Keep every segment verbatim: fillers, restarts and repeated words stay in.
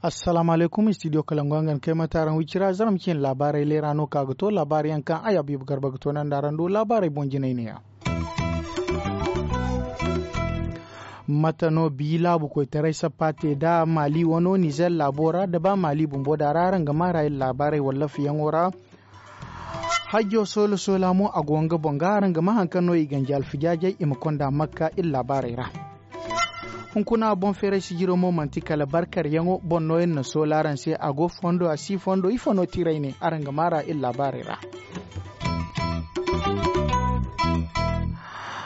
Assalaamu alaykum, studio kalangu yaŋ ga ni kay mate araŋ wicira zarma cine laabaarey leera no ka ga to laabaari yaŋ kaŋ ay abiiba garba ga to naŋ da araŋ du laabaarey boŋ jinay ne ya. Mate no bi laabu koytaray sappa te nda maali wano nizer laabo ra nda ba maali bumbo da ra araŋ ga maara iri laabaarey wallaafiyaŋo ra. Hajjo soola soola mo a go nga boŋ ga araŋ ga ma hari kaŋ no i ganji alfijaajey i ma konda makka iri laabaarey ra. Hunkuna boŋ feeray sijiro mo manti kala barkaryaŋo boŋ no iri na soola araŋ se a go fondo a si fondo ifo no tiray ne araŋ ga maara iri laabaarey ra.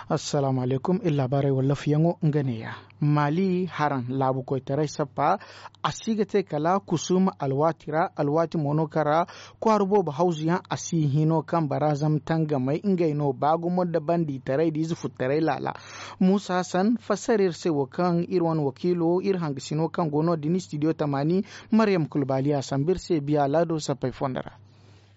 Assalaamu alaykum iri laabaarey wallaafiyaŋo nga neeya. Maali haraŋ laabu koytaray sappa a si ga te kala kusum alwaati ra alwaati mo no kaŋ ra kwaara boobo hawzuyaŋ a si hino kaŋ bara zama tangamey ngey no ba gumo nda bandiitaray da ize futtaray laala. Muusa hasan fassara iri se wo kaŋ iri wane wakiilo iri hangasino kaŋ go no- din istidiyo tamaani. Maryam kulbaali a sambu iri se biya laado sappey fondo ra.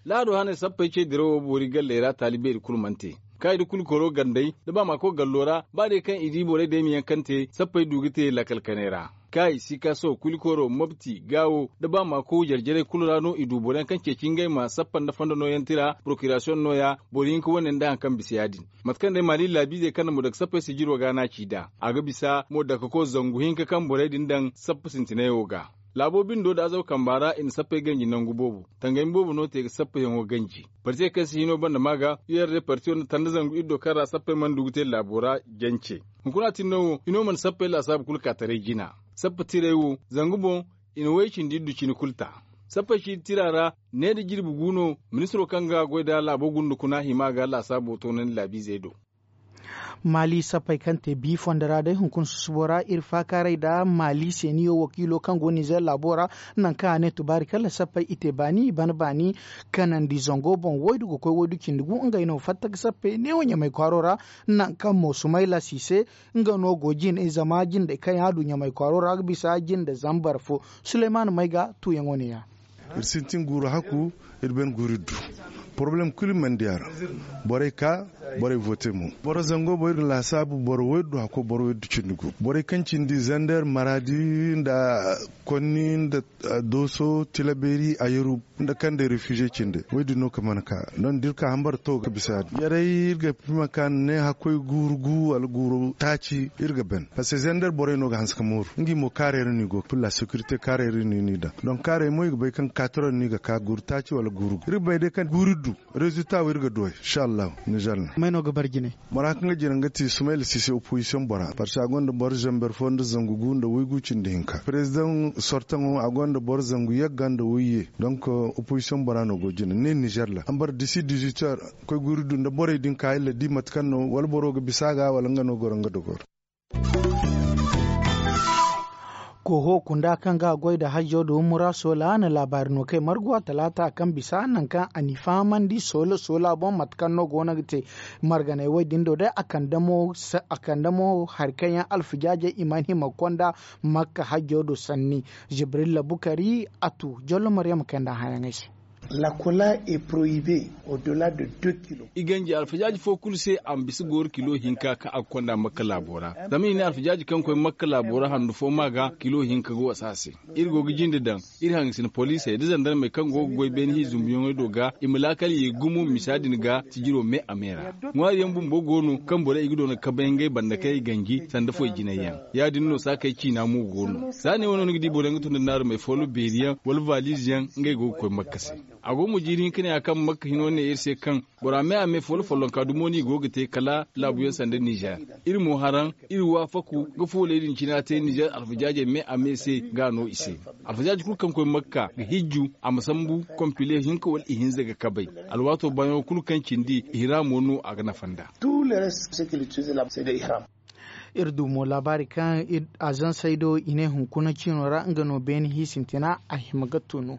Laado haney sappey ce dirawo boori galley ra taali beeri kulu mana te. Kaaydi kulu koro gandey da ba ma koy gallo ra ba day kaŋ i di borey day ma yaŋ kaŋ te sappey du ga te lakkal kanay ra. Kaayi sikaso kulikoro mobti gaawo da ba ma koy jarjarey kulu ra no i du boro yaŋ kaŋ ceeci ngey ma sappa nda fondo nooyaŋ tira porokirasiyoŋ nooya boro hinka wane nda hari kaŋ bisa ya- din. Mate kaŋ day maali laabiizey kaŋ na mo daga sappey sijiro ga no a ci nd'a a ga bisa mo daga ka koy zangu hinka kaŋ borey din daŋ sappa sintinayaŋo ga. Laabo bindo da azaw kamba ra i na sappey ganji nangu boobo. Tangami boobo no te ga sappayaŋo ganji. Partiyey kaŋ si hino banda ma ga u yar day partiyo nda tanda zangu iri do kaŋ ra sappey mana du ga te laabo ra jance. Hunkuna tin no wo hino mana sappey laasaabu kulu ka taray jina. Sappa tirey wo zangu boŋ i na way cindi iddu cine kulu ta. Sappey ciiti tira ra ne da jirbi gu no ministiro kaŋ ga goy nda laabo gunda kuna hima ga laasaabo toonandi laabiizey do. Maali sappey kaŋ te bi fondo ra day hunkuna susubo ra iri faakaaray nda maali seeniyo wakiilo kaŋ go nizer laabo ra. Nangu kaŋ a ne tubaari kala sappey i te baani i bana baani kanandi zango boŋ waydu ga koy waydu cindi gu ngey no fatta ga sappey neewo ɲamay kwaaro ra. Nangu kaŋ mo sumayla si se nga no go jine zama jindey kaŋ yaŋ a du ɲamay kwaaro ra ga bisa jinde zambar fo. Suleymaana may ga tuuyaŋo ne- ya. Iri sintin guuru hakku. Iri bane guuru iri du porobalem kulu mana di a ra. Borey ka borey vote mo boro zango boŋ iri ga laasaabu boro waydu hakko boro waydu cindi gu borey kaŋ cindi zander maraadi nda konni nda dooso tilabeeri a yaru nda kaŋ day refize cindi waydu no ka mana ka. Don da iri ka hambara to ga bisa ya- din yaray iri ga hima ka ne hakkoy guuru gu wala guuru taaci iri ga ban. Parce que zander borey no ga hanse ka mooru ngi mo kaarey ra no i go ga pilla securité kaarey ra no i daŋ. Donk kaarey mo i ga bay kaŋ kaatiro no i ga ka guuru taaci wala guuru gu iri ga bay day kaŋ guuru iri du. Rezulta wo iri ga du ay inshallahu. Nizer no may no ga bar jine. Bora kaŋ ga jine nga ti sumayla sise opozisiyoŋ bora parce que a gonda boro zamber fo nda zangu gu nda waygu cindi hinka perezidaŋ sortaŋo a gonda boro zangu yagga nda wayye. Donk opozisiyoŋ bora no go jine ne nizer ra a ma bara disi dizuit heures koy guuru du nda borey din ka iri la di mate kaŋ no wala boro ga bisa a ga wala nga no goro nga dogoro. Koho kunda kaŋ ga a goy nda hajjo da humura soola na laabaari no kay marguwa talaata kaŋ bisa nangu kaŋ a n'i fahamandi soola soola boŋ mate kaŋ no go no ga te. Marganey wo- din do day a kande mo hari kaŋ yaŋ alfijaajey i mana hima ga konda makka hajjo do sanni. Jibrilla bukari a tu jollo maryama kay nda hayaŋey se. Lakola est prohibe au-delà de deux kilos. I ganji alfajaaji fo kulu se a ma bisa gooro kilo hinka kaŋ a ga konda makka laabo ra. Zama i ne alfajaaji kaŋ koy makka laabo ra handu fo ma ga kilo hinka ga wasa a se. Iri go ga jinde daŋ iri hangasina poliisey da zandarmey kaŋ go ga goy beene hi zumbuyaŋey do ga i ma laakal ye gumo misa din ga sijiro me a me ra. Ŋwaari yaŋ bumbo go no kaŋ borey i ga doona kabay ngey banda kaŋ i ganji sanda foy jinay yaŋ. Ya- din no saakey ciina mo go no za ne wo no ni ga di boro yaŋ ga tun da naarumey foolo beeri yaŋ wala valiize yaŋ ngey go ga koy makka se. A go mo jiiri hinka ne a kaŋ makka hino ne iri se kaŋ bora me a me foolo follonka dumo no i go ga te kala laabu yaŋ sanda nizer. Iri mo haraŋ iri waafaku ga fooley din cina te nizer alfajaajey me a me se ga a no i se. Alfajaaji kulu kaŋ koy makka ga hijju a ma sambu kompile hinka wala ihinza ga kabay. Alwaato baayaŋo kulu kaŋ cindi ihiraamo no a ga nafa nd'a. Iri du mo laabaari kaŋ azansey do i ne hunkuna ciino ra nga no beene hi sintina a hima ga tunu.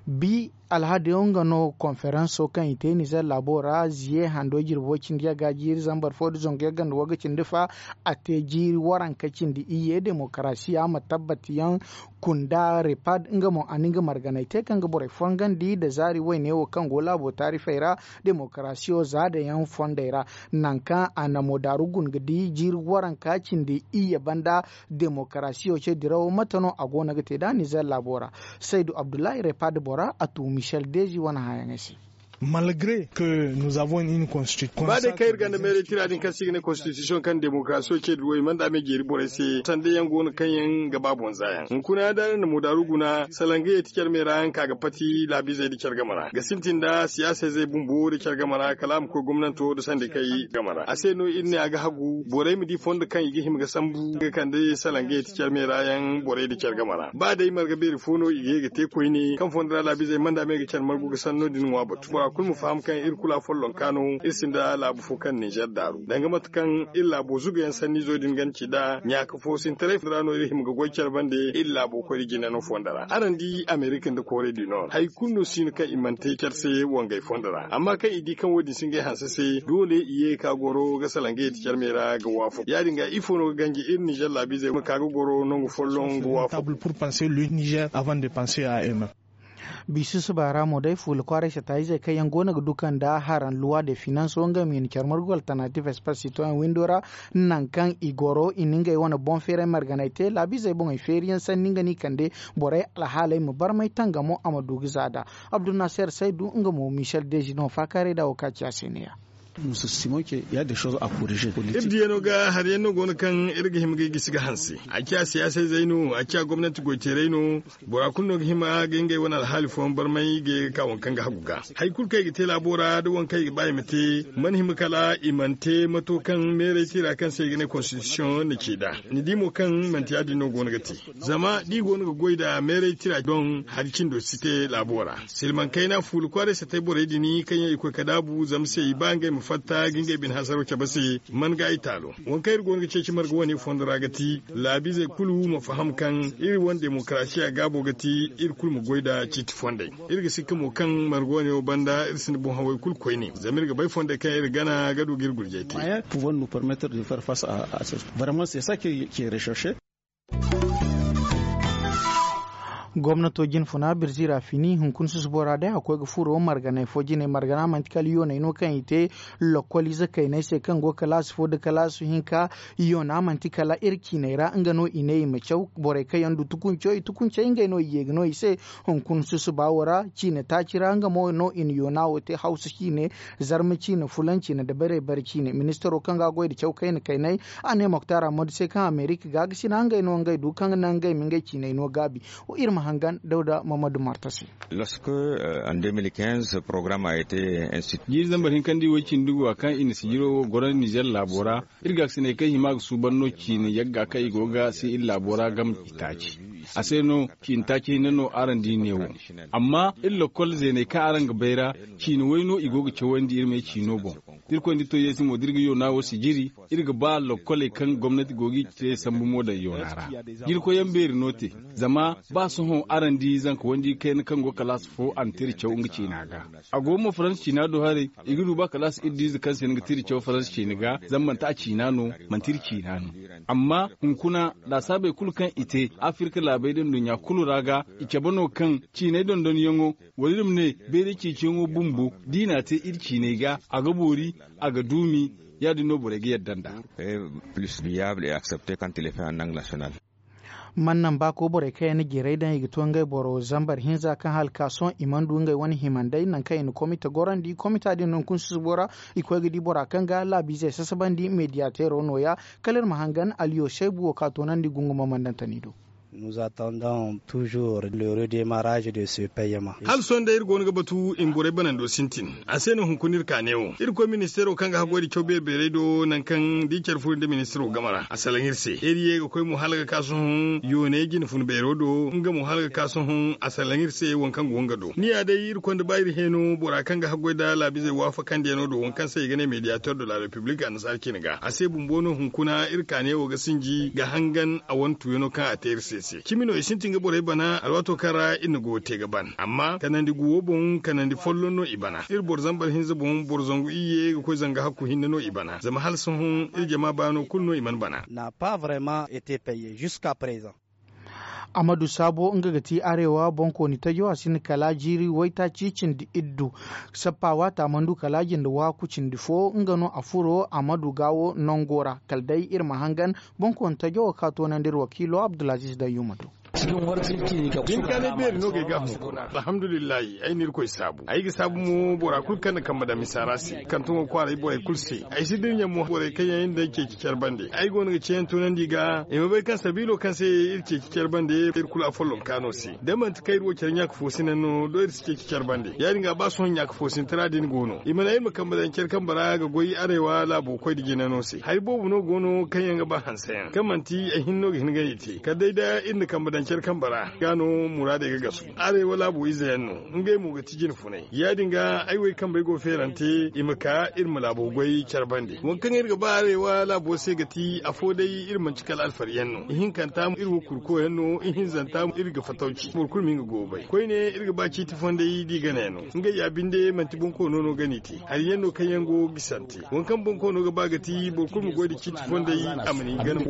Bi alhadiyo nga no konferanso kaŋ i te nizer laabo ra ziye hando jirbo cindi yagga jiiri zambar fo nda zangu yagga nda wagga cindi fa. A te jiiri waranka cindi iyye demokarasiya ma tabbati yaŋ. Kunda repad nga mo a na nga marganay te kaŋ ga borey fongandi nda zaari woyne wo kaŋ go laabo taarifey ra, demokarasiyo zaadayaŋ fondey ra, nangu kaŋ a na modaaru guna ga di jiiri waranka cindi iyye banda. Demokarasiyo ce dirawo mate no a go no ga te nd'a nizer laabo ra? Saydu abdullahi repad bora a tu michel dezi wane hããyaŋey se. Malgre que nous avons une constitution ba day kaŋ iri gonda meeray tira din kaŋ se i ga ne konstitisiyoŋ kaŋ demokarasiyo ce dirawo i mana nd'a me jeeri borey se sanda yaŋ go no kaŋ yaŋ ga ba boŋ za yaŋ hunkuna yaŋ da araŋ na modaaru guna salangayey ti care me ra yaŋ ka ga pati laabiizey nda care game ra ga sintin nda siyaasa izey bumbo nda care game ra kala a ma koy gomnanto nda sandikey game ra a se no iri ne a ga hagu borey ma di fondo kaŋ i ga hima ga sambu ga kande salangayey ti care me ra yaŋ borey nda care game ra ba day marga beeri fo no i ga ye ga te koyne kaŋ fondo ra laabiizey mana nd'a me ga care margu ga sanno din ŋwa batu bora kulu ma faham kaŋ iri kulu afollonka no iri sinda laabu fo kaŋ ninzeer daaru danga mate kaŋ iri laabo zugayaŋ sanniizo din ga ni ci nd'a ɲaaka fo sintaray ra no iri hima ga goy care bande iri laabo koyne jine no fondo ra araŋ di amerika nda koore du nord hari kulu no si no kaŋ i mana te care se wangay fondo ra amma kaŋ i di kaŋ wo- din si ngey hanse se doole i ye ga ka goro ga salangayey ti care me ra ga waafaku ya- din ga ifo no ga ganji iri ninzeer laabiizey ma ka ga goro nangu folloŋ ga waafaku. Biisi suba ra mo day fuula kwaaray sata-izey kaŋ yaŋ go no ga duka nda haraŋ luwa de finanso ngey ma i na care margu alternative espace citoyen windo ra nangu kaŋ i goro i na ngey wane boŋ feeray marganay te laabiizey boŋey feeri yaŋ sanni nga no i kande borey alhaaley ma barmay tangamo a ma du ga za nd'a. Abdulnaser saydu nga mo michel dezi no faakaaray nd'a wo kaŋ a ci a se ne- ya. Iri diyano ga hari yaŋ no go no kaŋ iri ga hima ga i gisi ga hanse a ciya siyaasa izey no a ciya gomnanti goy teeray no. Bora kulu no ga hima ga ngey wane alhaali fooyaŋ barmay ga ye ga ka waŋ kaŋ ga hagu ga hari kulu kaŋ i ga te laabo ra nda waŋ kaŋ i ga ba i ma te mana hima kala i mana te mato kaŋ meeray tira kaŋ se i ga ne konstitisiyoŋ na ci nd'a. Ni di mo kaŋ manti ya- din no go no ga te zama da i go no ga goy nda meeray tira doŋ hari cindo si te laabo ra. Silmaŋ kayna fuula kwaaray satay borey din kaŋ yaŋ i koy ga daabu zama se i ba ngey ma fatta ga ngey bine hasaro cabe se man ga i taalo. Waŋ kaŋ iri go no ga ceeci marga wane fondo ra ga ti laabiizey kulu ma faham kaŋ iri wane demokarasiya gaabo ga ti iri kulu ma goy nda ciiti fondey. Iri ga sikka mo kaŋ marga wane wo banda iri sinda boŋ hawey kulu koyne zama iri ga bay fondey kaŋ iri gana ga du ga iri gurjay te. Gomnato jinfuna birzi ra fini hunkuna susubo ra day a koy ga furo marganay fo jine margana manti kala yoonay no kaŋ i te lokoliize kaynay se kaŋ go kalaasi fo nda kalaasi hinka. Yoona manti kala iri ciinay ra nga no i ne i ma caw borey kaŋ yaŋ du tukunco i tukuncey ngey no i ye ga no i se. Hunkuna susuba wo ra ciine taaci ra nga mo no i na yoona wo te hawsa ciine, zarma ciine fulaŋ ciine nda bare bare ciine ministaro kaŋ ga goy nda caw kayna kaynay. A ne moktar ammadu se kaŋ amerika ga ga sina ngey no ngey du kaŋ ga naŋ ngey ma ngey ciiney no gaabi. Iri ma hangan dawda mammadu marta se. Lorsque en deux mille quinze programme a été institué. Jiiri zambar hinka nda i way cindi ga wa kaŋ i na sijiro wo goro nizer laabo ra. Iri ga ga sinay kaŋ hima ga suuban no ciine yagga kaŋ i go ga se iri laabo ra gam i taaci. A se no ciine taaci hinne no araŋ di ne wo. Amma iri lokol zeeney kaŋ araŋ ga bay ra ciine way no i go ga cawandi iri me ciino boŋ. Da irkoy nda to yeesi mo da iri ga yoona wo sijiri. Iri ga ba lokkoley kaŋ gomnati go ga i te sambu mo daŋ yoona ra. Jirkoy yaŋ beeri no te. Zama ba sohõ araŋ di zanka wandi kayna kaŋ go kalaasi fo a na tira caw nga ciina ga. A go mo faransa ciina do haray. I ga du ba kalaasi iri diize kaŋ se ni ga tira caw faransa ciina ga zama manti a ciina no. Manti iri ciina no. Amma hunkuna laasaabey kulu kaŋ i te afirka laabey da nduɲɲa kulu ra ga i cabe no kaŋ ciiney dondonyaŋo wala iri ma ne bayray ceeciyaŋo bumbo da i n'a te iri ciiney ga a ga boori. A ga duumi. Ya- din no borey ga yadda nd'a. Plus viable et accepte quand il est fait en langue nationale. Man naŋ ba ko borey kaŋ yaŋ na jirey daŋ i ga to ngey boro zambar hinza kaŋ hala ka sohõ i mana du ngey wane himandey naŋ kaŋ i na komite gorandi komita din no hunkuna susubo ra. I koy ga di bora kaŋ ga laabiizey sasabandi mediyateero nooya. Kala iri ma hangan aliyo saybu wo kaŋ a toonandi gunguma mandantani do. Nous attendons toujours le redémarrage de ce paiement. Hala sohõ day iri go no ga batu i ma borey banando sintin. A se no hunkuna iri ka neewo irkoy ministeero kaŋ ga haggoy nda caw beeri beerey do nangu kaŋ da i care furo nda ministeero game ra a salaŋ iri se iri ye ga koy mo hala ga ka sohõ yooney jine fun beero do nga mo hala ga ka sohõ a salaŋ iri se waŋ kaŋ go nga do ni ya day iri konda ba iri heeno bora kaŋ ga haggoy nda laabiizey waafakandiyano do waŋ kaŋ se i ga ne mediateur de la république annasaara cine ga a se bumbo no hunkuna iri ka neewo ga sinji ga hangan a wane tuuyano kaŋ a te iri se se cimi no i sintin ga borey bana alwaato kaŋ ra iri na go te ga ban amma kanandi guwo boŋ kanandi folloŋ no i bana iri boro zambar hinza boŋ boro zangu iyye ga koy zanga hakku hinne no i bana zama hala sohõ iri jama baano kulu no i mana bana. N'a pas vraiment été payé jusqu'à présent. Amadu saabo nga ga ti arewa bonkooni tajo a sinda kala jiiri waytaaci cindi iddu. Sappa waata a mana du kala jinde waaku cindi fo nga no a furo amadu gaawo nango ra kala day iri ma hangan. Bonkooni tajo wo ka toonandi iri wakiilo abdulaziiz dayyuma do. Din kaanay beeri no ga ay gaahamo kuna alhamdulillahi ay na irkoy saabu ay ga saabu mo bora kulu kaŋ na kambe daŋ misa ra se kaŋ tuŋo kwaaray borey kulu se. Ay si dira ɲa mo borey kaŋ yaŋ iri nda ay ceeci care bande ay go no ga ceeyaŋ tunandi i ga i ma bay kaŋ sabiilo kaŋ se iri ceeci care bande iri kulu afolloŋ kaano se da manti kaŋ iri wo care ɲaaka fo sina no do iri si ceeci care bande ya- din ga ba sohõ ɲaaka fo sina tira din go no i ma naŋ iri ma kambe daŋ care kambe ra ga goy arewa laabo koy nda jinano se hari boobo no go no kaŋ yaŋ ga ba hanse yaŋ kaŋ manti ay hinne no ga hin ga ni te kala day da iri na kambe daŋ care kambe ra ga no muraadey ga gasu. Arewa laabo ize yaŋ no ngey mo ga ti jine funay ya- din ga ay wo ay kambey go feerante i ma ka iri ma laabo goy care bande waŋ kaŋ iri ga ba arewa laabo se ga ti afo day iri manti kala alfari yaŋ no ihinkanta iri wo kurko yaŋ no ihinzanta iri ga fatawci boro kulu ma nga go ga bay koyne iri ga ba ciiti fondey da i gana yaŋ no. Ngey ya binde manti bonkoono no ga ni te hari yaŋ no kaŋ yaŋ go ga sante waŋ kaŋ bonkoono ga ba ga ti boro kulu ma goy nda ciiti fondey a ma ni gana.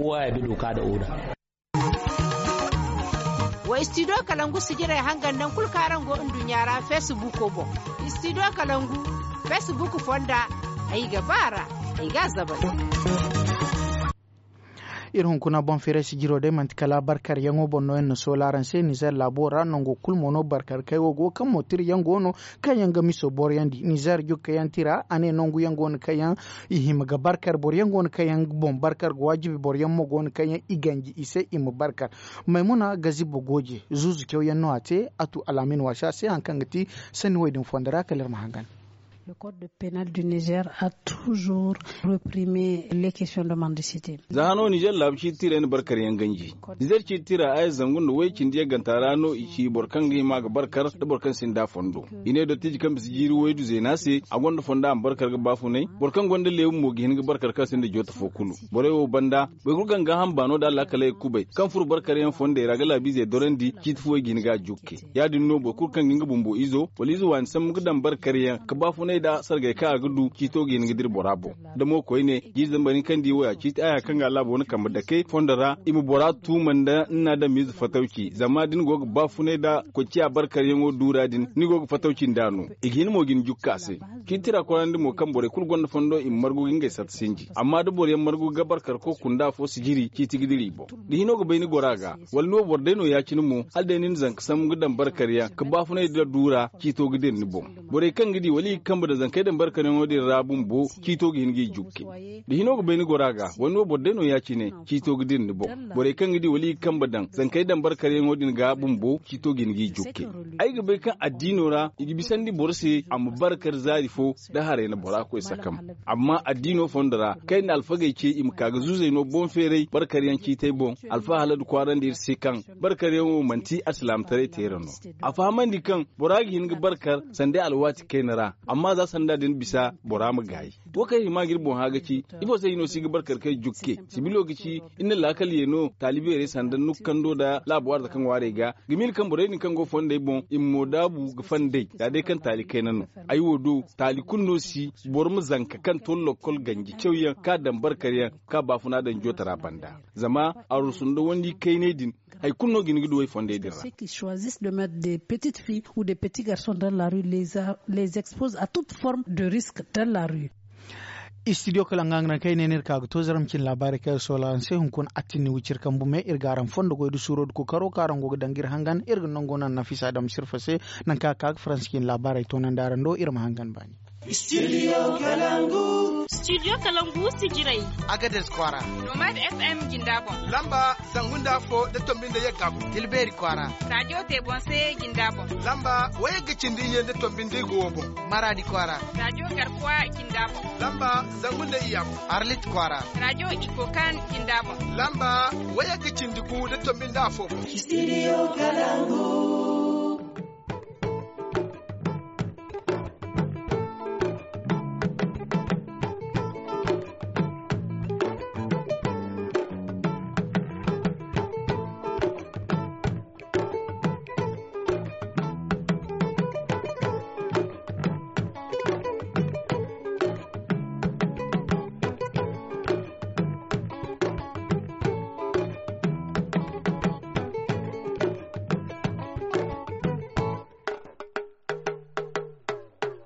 Wa studio kalangu sijirey hangan naŋ kulu kaŋ araŋ go nduɲɲa ra feesibuuko boŋ. Studio kalangu feesibuuko fonda ay ga ba a ra ay ga a zabari. Iri hunkuna boŋ feeray sijiro day manti kala barkaryaŋo boŋ no yaŋ na soola araŋ se nizer laabo ra nango kulu mo no barkar kay wo go kaŋ mo tira yaŋ go no kaŋ yaŋ ga miso boroyandi nizer jukka yaŋ tira a ne nangu yaŋ go no kaŋ yaŋ i hima ga barkar boro yaŋ go no kaŋ yaŋ boŋ barkar ga waajibi boro yaŋ mo go no kaŋ yaŋ i ganji i se i ma barkar. Maymuna gazibo gooje zuuzu caw yaŋ no a te a tu alaamin waasi a se hari kaŋ ga ti sanni wo- din fondo ra kala iri ma hangan. Le code penal du nizer a toujours reprimé les questions de mendicité. Za hano nizer laabu ciiti tira yaŋ na barkar yaŋ ganji. Nizer ciiti tira aya zangu nda way cindi yagganta ra no i ci boro kaŋ ga hima ga barkar nda boro kaŋ sinda fondo. I ne dottiiji kaŋ bisa jiiri waydu zeena se a gonda fonda a ma barkar ga baafunay. Boro kaŋ gonda leebu mo ga hin ga barkar kaŋ sinda joota fo kulu. Borey wo banda boro kulu kaŋ ga gaaham baano nda alaakaley ga kubay kaŋ furo barkar yaŋ fondey ra ga laabiizey dorandi ciiti fo i ga hin ga a jukke. Ya- din no boro kulu kaŋ ga nga bumbo izo wala ize waani sambu ga daŋ barkar yaŋ ga baafunay nda sargay kaŋ a ga du ciito ga hin ga dira bora boŋ. Da mo koyne jiiri zambar hinka nda i wo ya ciiti aya kaŋ ga a laabo wane kambe dake fondo ra i ma bora tuuma nda ni na a daŋ miize fatawci zama da ni go ga baafunay nda koy ciya barkaryaŋo duura din ni go ga fatawci nd'a no. I ga hin mo ga ni jukka a se. Ciiti tira koyandi mo kaŋ borey kulu gonda fondo i ma margu ga ngey satta sinji amma da boroyaŋ margu ga barkar koy kunda afo sijiri ciiti ga dira i boŋ. Da hino ga bay ni goro a ga wala ni wo boro day no ya- cine mo hala day ni na zanka sambu ga daŋ barkaryaŋ ga baafunay nda duura ciito ga dira ni boŋ. Borey kaŋ ga di wala i ga kambe daŋ zankey daŋ barkaryaŋo din ra bumbo ciito ga hin ga i jukke. Da hino ga bay ni goro a ga wala ni wo boro day no ya- cine ciito ga dira ni boŋ. Borey kaŋ ga di wala i ga kambe daŋ zankey daŋ barkaryaŋo din ga bumbo ciito ga hin ga i jukke. Ay ga bay kaŋ addiino ra i ga bisandi boro se a ma barkar zaari fo da haray na bora koy sakam. Amma addiino fondo ra kaŋ ay na alfagey ce i ma ka ga zuuzey no boŋ feeray barkaryaŋ ciitay boŋ. Alfa haladu kwaarandi iri se kaŋ barkaryaŋo manti alsilaamataray teera no. A fahamandi kaŋ bora ga hin ga barkar sanda alwaati kayna ra amma za sanda din bisa bora ma gaayi. Wo kaŋ hima ga iri boŋ hã ga ci ifo se hino si ga barkar kay jukke sibilo ga ci iri na laakal ye no taali beerey sanda nukando nda laabo arzaka ŋwaarey ga ga miila kaŋ borey din kaŋ go fondey boŋ i ma mo daabu ga fandey za day kaŋ taali kayna no. Ay wo do taali kulu no si boro ma zanka kaŋ to lokkol ganji cawyaŋ kaŋ a daŋ barkaryaŋ kaŋ a baafuna daŋ jootara banda. Zama arusu nda wandi kayney din hari kulu no ga hin ga du ay fondey din ra. Ceux qui choisissent de mettre des petites filles ou des petits garçons dans la rue les expose à toute forme de risque dans la rue. Istidiyo kala nga nga naŋ kaŋ ay ne no iri ka ga to zarma cine laabaarey kaŋ iri soola araŋ se hunkuna attin ni wiciri kambu me iri ga araŋ fondo goy da suuro da kookaro kaŋ araŋ go ga daŋ ga iri hangan iri ga nango naŋ nafisa daŋ sirfa se. Naŋ kaŋ a ka ga faransi cine laabaarey toonandi araŋ do iri ma hangan baani. Studio kalangu. Studio kalangu sijirey. Agades kwaara. Nomad fm jinda boŋ. Lamba zangu nda afo da tombi nda yagga boŋ tilbeeri kwaara. Radiyo te boŋ se jinda boŋ. Lamba wayagga cindi iyye nda tombi nda igo wo boŋ. Maradi kwaara. Radiyo garkuwa jinda boŋ. Lamba zangu nda iyya boŋ. Arlit kwaara. Radiyo ikokan jinda boŋ. Lamba wayagga cindi gu nda tombi nda afo boŋ. Studio kalangu.